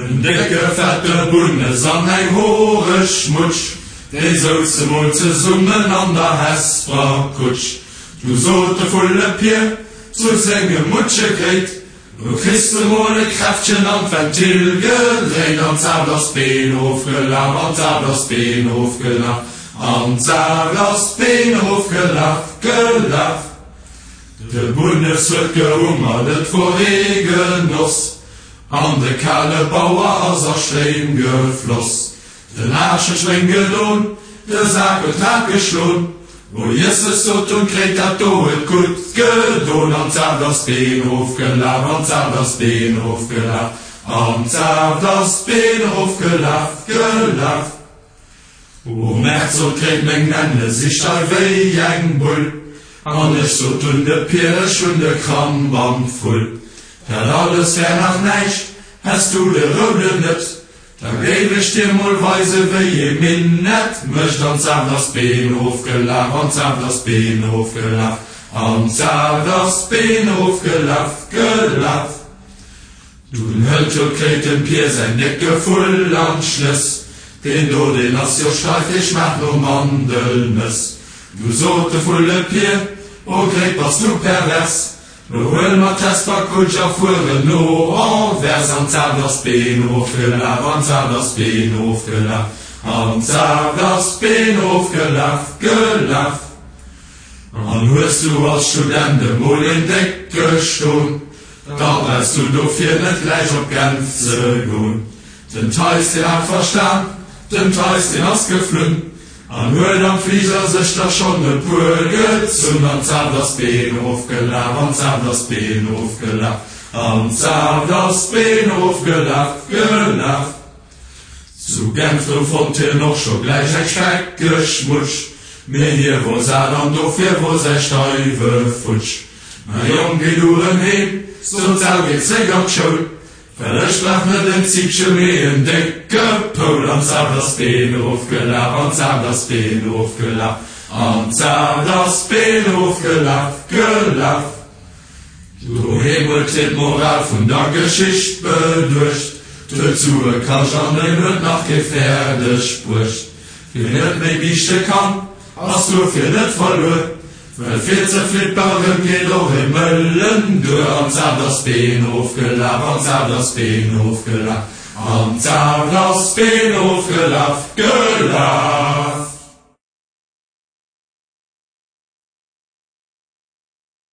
En décke fette Bunnes an eng horeg Mutsch, déi souze mol zesummen an der Hesper Kutsch. Du sot de Vullepier zu sengem Mutschegréit, Lo kriss de mol e Kräftchen an d'Ventil gedréit. An d'Saaft ass d'Been erofgelaf, an d'Saaft ass d'Been erofgelaf, an d'Saaft ass d'Been erofgelaf, gelaf. De Bunnes huet gehummert, et wor ee Genoss, an de kale Bauer ass a Stréim gefloss. Den Aarsch huet Schwéng gedon, de Sak huet Rad geschlon, O Jesses, sot dunn d'Gréit, dat do huet gutt gedon. An d'Saaft ass d'Been erofgelaf, an d'Saaft ass d'Been erofgelaf, an d'Saaft ass d'Been erofgelaf, gelaf. O Mäerz, sot d'Gréit, meng Nenne si steif wéi eng Bull. An ech sot dunn de Pier, ech hunn de Kramp am Vull. Dat alles wär nach näischt, häss du de Rouden net, da géif ech dir mol weise wéi ee Minett mécht. An d'Saaft ass d'Been erofgelaf, an d'Saaft ass d'Been erofgelaf, an d'Saaft ass d'Been erofgelaf, gelaf. Dunn hëlt jo d'Gréit dem Pier säin décke Vull an d'Schnëss, Deen do, deen ass jo steif, dee schmaacht no Mandelnëss. Du sot de Vullepier, O Gréit, bass du pervers, lo huele mer d'Hesperkutsch a fueren no Anvers. An d'Saaft ass d'Been erofgelaf, an d'Saaft ass d'Been erofgelaf, an d'Saaft ass d'Been erofgelaf, gelaf. An hues du als Student emol een décke Ston, Da brauchs du dofir net gläich op Genf ze gon. Den Theis deen hat verstan, den Theis deen ass geflunn an huet am Fliger sech der schonn e puer gezunn. An d'Saaft ass d'Been erofgelaf, an d'Saaft ass d'Been erofgelaf, an d'Saaft ass d'Been erofgelaf, gelaf. Zu Genf do fonnt hien och scho gläich eng speckeg Mutsch, mee hie wor sat an dofir wor säi Steiwe futsch. Mäi Jong, géi du rëm heem, sot d'Sau, géi zréck an d'Schoul, well ech brauch net en Zippche, mee en décke Poul. An d'Saaft ass d'Been erofgelaf, an d'Saaft ass d'Been erofgelaf, an d'Saaft ass d'Been erofgelaf, gelaf. Doheem huet hien d'Moral vun der Geschicht beduecht, 't huet Sue kascht an en huet nach kee fäerdeg bruecht. Wien net méi biichte kann, ass duerfir net verluer, well fir ze flipperen geet och ee mëllen duer. An d'Saaft ass d'Been erofgelaf, an d'Saaft ass d'Been erofgelaf, an d'Saaft ass d'Been erofgelaf, gelaf.